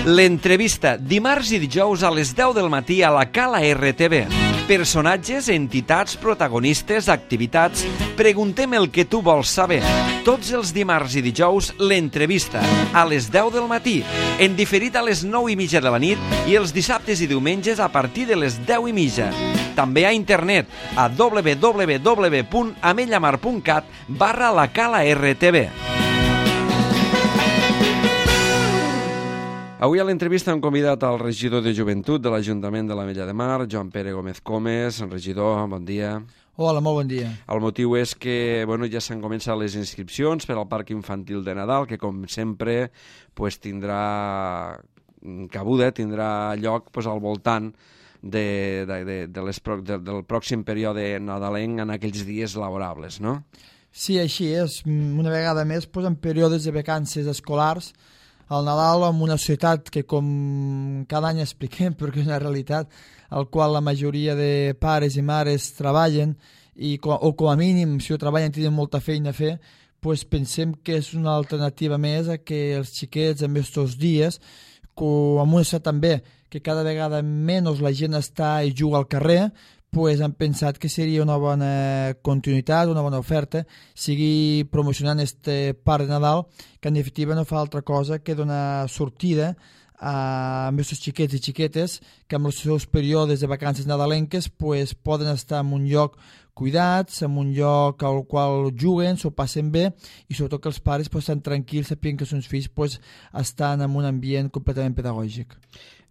L'entrevista, dimarts i dijous a les 10 del matí a la Cala RTV. Personatges, entitats, protagonistes, activitats... Preguntem el que tu vols saber. Tots els dimarts i dijous, l'entrevista, a les 10 del matí, en diferit a les 9:30 de la nit i els dissabtes i diumenges a partir de les 10:30. També a internet a www.amellamar.cat/la Cala RTV. Avui a l'entrevista hem convidat al regidor de Joventut de l'Ajuntament de l'Ametlla de Mar, Joan Pere Gómez Comes. Regidor, bon dia. Hola, molt bon dia. El motiu és que ja s'han començat les inscripcions per al Parc Infantil de Nadal, que com sempre tindrà cabuda, tindrà lloc al voltant del pròxim període nadalenc en aquells dies laborables, no? Sí, així és. Una vegada més, en períodes de vacances escolars, el Nadal en una societat que, com cada any expliquem, perquè és una realitat, al qual la majoria de pares i mares treballen, o com a mínim, si ho treballen, tenen molta feina a fer, pensem que és una alternativa més a que els xiquets en aquests dies, amb una societat també que cada vegada menys la gent està i juga al carrer, han pensat que seria una bona continuïtat, una bona oferta, sigui promocionant este Parc de Nadal, que en definitiva no fa altra cosa que donar sortida a aquests xiquets i xiquetes que en els seus períodes de vacances nadalenques poden estar en un lloc cuidats, en un lloc al qual juguen, s'ho passen bé i sobretot que els pares estan tranquils sapient que els seus fills estan en un ambient completament pedagògic.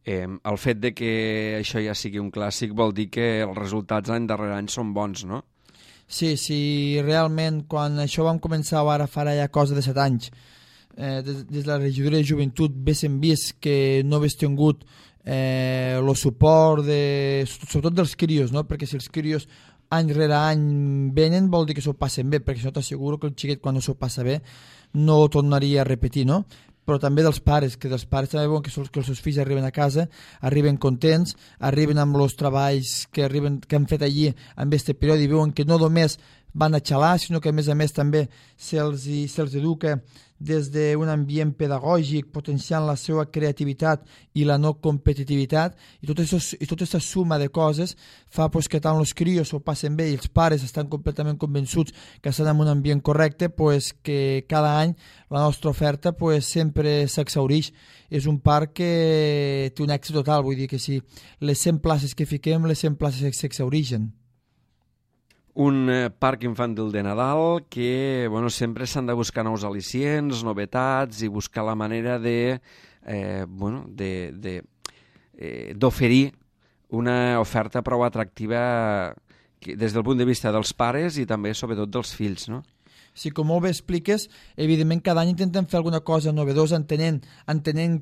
El fet de que això ja sigui un clàssic vol dir que els resultats any darrere any són bons, no? Sí, realment quan això vam començar ara farà ja cosa de 7 anys, des de la regidoria de Joventut haguéssim vist que no hagués tingut el suport sobretot dels crios, no? Perquè si els crios any rere any venen vol dir que s'ho passen bé, perquè això t'asseguro que el xiquet quan no s'ho passa bé no ho tornaria a repetir, no? Però també dels pares, que dels pares també veuen que els seus fills arriben a casa, arriben contents, arriben amb els treballs que han fet allí en aquest període i veuen que no només van a xalar, sinó que a més també se'ls educa des d'un ambient pedagògic, potenciant la seva creativitat i la no competitivitat, i tota aquesta suma de coses fa que tant els crios s'ho passen bé i els pares estan completament convençuts que estan en un ambient correcte, que cada any la nostra oferta sempre s'exhaureix. És un parc que té un èxit total, vull dir que si les 100 places que fiquem, les 100 places s'exhaureixen. Un parc infantil de Nadal que sempre s'han de buscar nous al·licients, novetats i buscar la manera d'oferir una oferta prou atractiva des del punt de vista dels pares i també sobretot dels fills, no? Sí, com molt bé expliques, evidentment cada any intentem fer alguna cosa novedosa entenent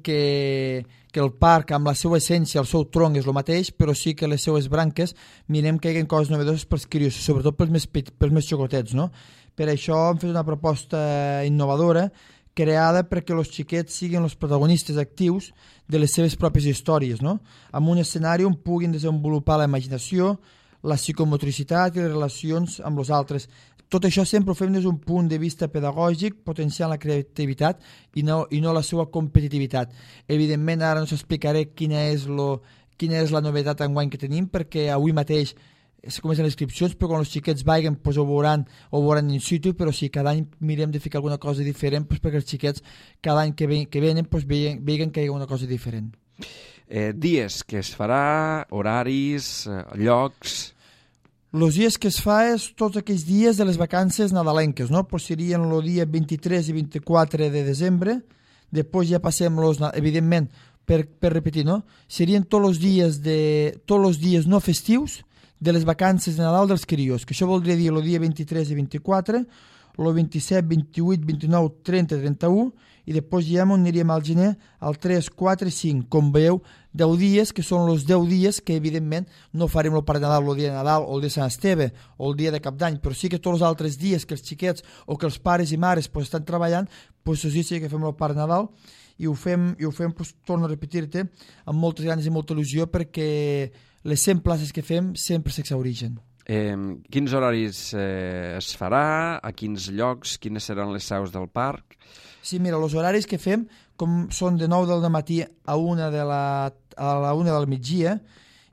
que el parc amb la seva essència, el seu tronc és el mateix, però sí que les seues branques mirem que hi hagi coses novedoses pels crios, sobretot pels més xicotets, no? Per això hem fet una proposta innovadora creada perquè els xiquets siguin els protagonistes actius de les seves pròpies històries, no? Amb un escenari on puguin desenvolupar la imaginació, la psicomotricitat i les relacions amb els altres. Tot això sempre ho fem des d'un punt de vista pedagògic, potenciant la creativitat i no la seva competitivitat. Evidentment, ara no us explicaré quina és la novetat enguany que tenim, perquè avui mateix es comencen les inscripcions, però quan els xiquets vagin ho veuran in situ, però sí, cada any mirem de ficar alguna cosa diferent perquè els xiquets cada any que venen vegin que hi ha una cosa diferent. Dies que es farà, horaris, llocs... Els dies que es fa és tots aquells dies de les vacances nadalenques, no? Serien el dia 23 i 24 de desembre, després ja passem, evidentment, per repetir, no? Serien tots els dies no festius de les vacances de Nadal dels crios, que això voldria dir el dia 23 i 24, el 27, 28, 29, 30, 31, i després ja aniríem al gener al 3, 4 i 5. Com veieu, 10 dies, que són els 10 dies que evidentment no farem el Parc de Nadal el dia de Nadal o el de Sant Esteve o el dia de Cap d'Any, però sí que tots els altres dies que els xiquets o que els pares i mares estan treballant, els dies sí que fem el Parc de Nadal i ho fem, torno a repetir-te, amb moltes ganes i molta il·lusió perquè les 100 places que fem sempre s'exhaureixen. Quins horaris es farà, a quins llocs, quines seran les seus del parc? Sí, mira, els horaris que fem són de 9 del matí a la 1 del migdia,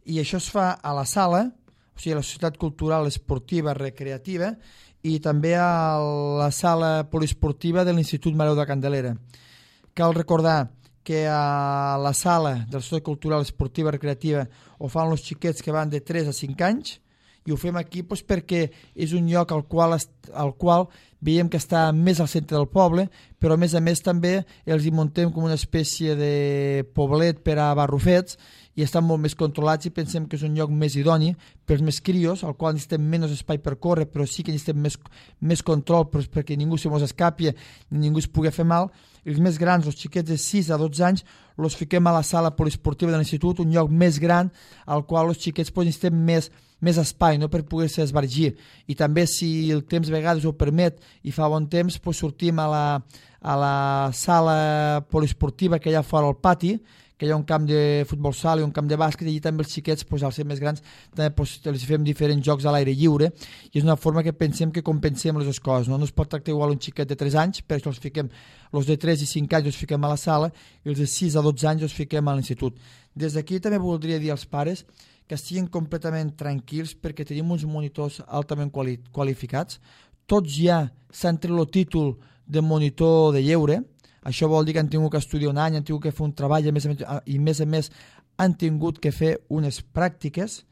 i això es fa a la sala, o sigui, a la Societat Cultural Esportiva Recreativa, i també a la sala poliesportiva de l'Institut Mareu de Candelera. Cal recordar que a la sala de la Societat Cultural Esportiva Recreativa ho fan els xiquets que van de 3 a 5 anys, i ho fem aquí doncs, perquè és un lloc al qual veiem que està més al centre del poble, però a més també els hi muntem com una espècie de poblet per a barrufets, i estan molt més controlats, i pensem que és un lloc més idoni pels més crios, al qual necessitem menys espai per córrer, però sí que necessitem més control perquè ningú se mos escapi ni ningú es pugui fer mal. I els més grans, els xiquets de 6 a 12 anys, els fiquem a la sala poliesportiva de l'institut, un lloc més gran al qual els xiquets necessitem més espai, no, per poder-se esbargir. I també, si el temps a vegades ho permet i fa bon temps, sortim a la sala poliesportiva que hi ha fora al pati, que hi ha un camp de futbol sala i un camp de bàsquet, i allà també els xiquets, al ser més grans, també els fem diferents jocs a l'aire lliure, i és una forma que pensem que compensem les dues coses. No es pot tractar igual un xiquet de 3 anys, per això els de 3 i 5 anys els fiquem a la sala, i els de 6 a 12 anys els fiquem a l'institut. Des d'aquí també voldria dir als pares que estiguin completament tranquils, perquè tenim uns monitors altament qualificats. Tots ja s'han tret el títol de monitor de lleure. Això vol dir que han tingut que estudiar un any, han tingut que fer un treball, i a més han tingut que fer unes pràctiques.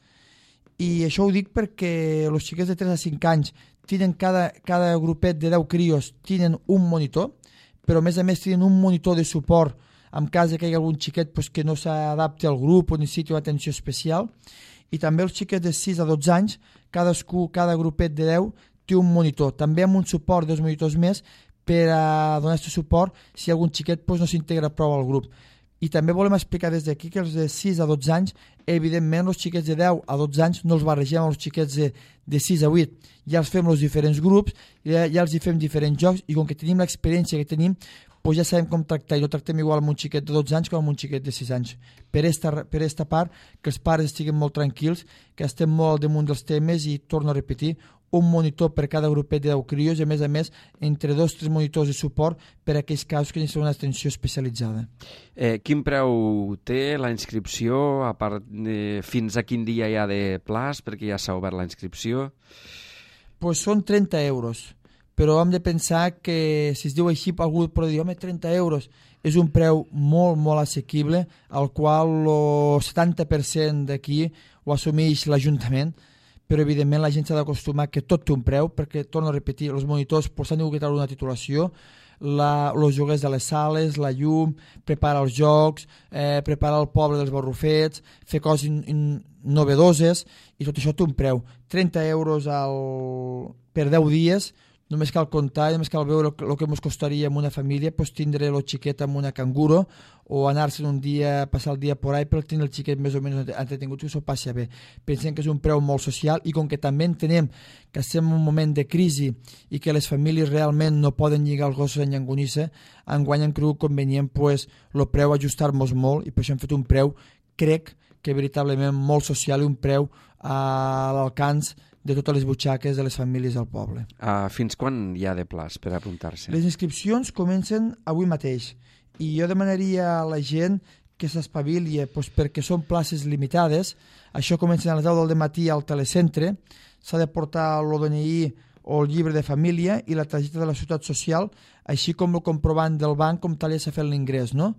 I això ho dic perquè els xiquets de 3 a 5 anys tenen cada grupet de 10 crios tenen un monitor, però a més tenen un monitor de suport en cas que hi hagi algun xiquet que no s'adapti al grup o necessiti una atenció especial. I també els xiquets de 6 a 12 anys, cada grupet de 10 té un monitor, també amb un suport dels monitors més, per a donar aquest suport si algun xiquet no s'integra prou al grup. I també volem explicar des d'aquí que els de 6 a 12 anys, evidentment els xiquets de 10 a 12 anys no els barregem amb els xiquets de 6 a 8. Ja els fem els diferents grups, ja els hi fem diferents jocs, i com que tenim l'experiència que tenim, ja sabem com tractar, i no tractem igual amb un xiquet de 12 anys com amb un xiquet de 6 anys. Per esta part, que els pares estiguin molt tranquils, que estem molt al damunt dels temes, i torno a repetir, un monitor per cada grupet de 10 crios, i a més, entre 2 o 3 monitors de suport per a aquells casos que necessiten una atenció especialitzada. Quin preu té la inscripció? Fins a quin dia hi ha de plaç, perquè ja s'ha obert la inscripció? Són 30 euros, però hem de pensar que, si es diu així, algú podrà dir, 30 euros és un preu molt, molt assequible, al qual el 70% d'aquí ho assumeix l'Ajuntament, però evidentment la gent s'ha d'acostumar que tot té un preu, perquè, torno a repetir, els monitors s'han de treure una titulació, els joguers de les sales, la llum, preparar els jocs, preparar el poble dels barrufets, fer coses novedoses, i tot això té un preu. 30 euros per 10 dies, només cal comptar, només cal veure el que ens costaria amb una família, tindre el xiquet amb una canguro, o anar-se'n un dia, passar el dia por ahí, per tenir el xiquet més o menys entretingut, que s'ho passi bé. Pensem que és un preu molt social, i com que també entenem que estem en un moment de crisi i que les famílies realment no poden lligar els gossos en llangonissa, enguany hem cregut convenient el preu ajustar-nos molt, i per això hem fet un preu, crec que veritablement molt social, i un preu a l'alcance de totes les butxaques de les famílies del poble. Fins quan hi ha de plaç per apuntar-se? Les inscripcions comencen avui mateix, i jo demanaria a la gent que s'espavili, perquè són places limitades. Això comença a les 10 del matí al telecentre, s'ha de portar el DNI o el llibre de família i la targeta de la Seguretat Social, així com el comprovant del banc com tal ja s'ha fet l'ingrés, no?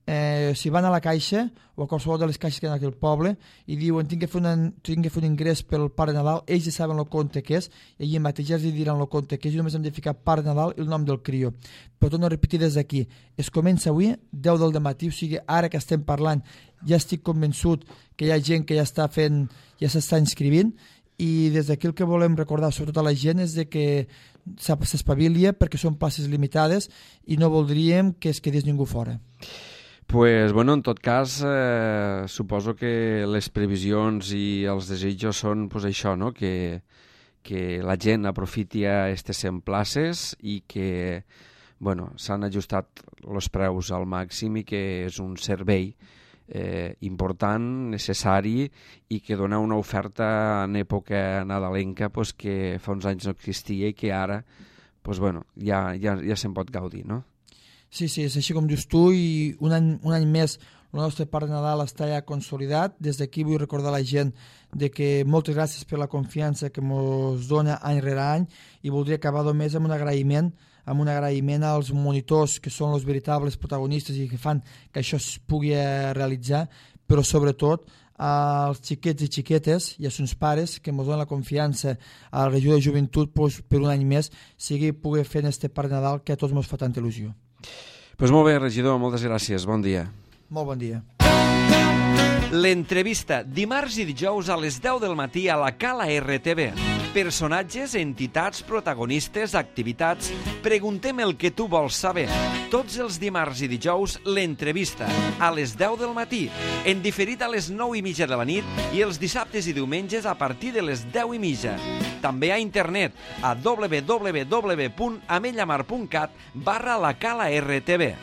Si van a la caixa o a qualsevol de les caixes que hi ha aquí al poble i diuen tinc que fer un ingrés pel Pare Nadal, ells ja saben el compte que és, i allà mateix ja els diran el compte que és, i només hem de ficar Pare Nadal i el nom del crió. Però torno a repetir des d'aquí, es comença avui 10 del matí, o sigui, ara que estem parlant ja estic convençut que hi ha gent que ja s'està inscrivint, i des d'aquí el que volem recordar sobretot a la gent és que s'espavilia, perquè són places limitades i no voldríem que es quedés ningú fora. En tot cas, suposo que les previsions i els desitjos són això, no? Que la gent aprofiti aquestes 100 places i que s'han ajustat els preus al màxim, i que és un servei important, necessari i que dona una oferta en època nadalenca que fa uns anys no existia i que ara ja se'n pot gaudir, no? Sí, és així com dius tu, i un any més el nostre Parc de Nadal està ja consolidat. Des d'aquí vull recordar a la gent de que moltes gràcies per la confiança que ens dona any rere any, i voldria acabar només amb un agraïment als monitors, que són els veritables protagonistes i que fan que això es pugui realitzar, però sobretot als xiquets i xiquetes i als seus pares que ens donen la confiança a la regió de joventut per un any més poder fer este Parc de Nadal que a tots ens fa tanta il·lusió. Doncs molt bé, regidor, moltes gràcies, bon dia. Molt bon dia. L'entrevista, dimarts i dijous a les 10 del matí a la Cala RTV. Personatges, entitats, protagonistes, activitats... Preguntem el que tu vols saber. Tots els dimarts i dijous, l'entrevista, a les 10 del matí, en diferit a les 9:30 de la nit i els dissabtes i diumenges a partir de les 10:30. També a internet a www.amellamar.cat/la Cala RTV.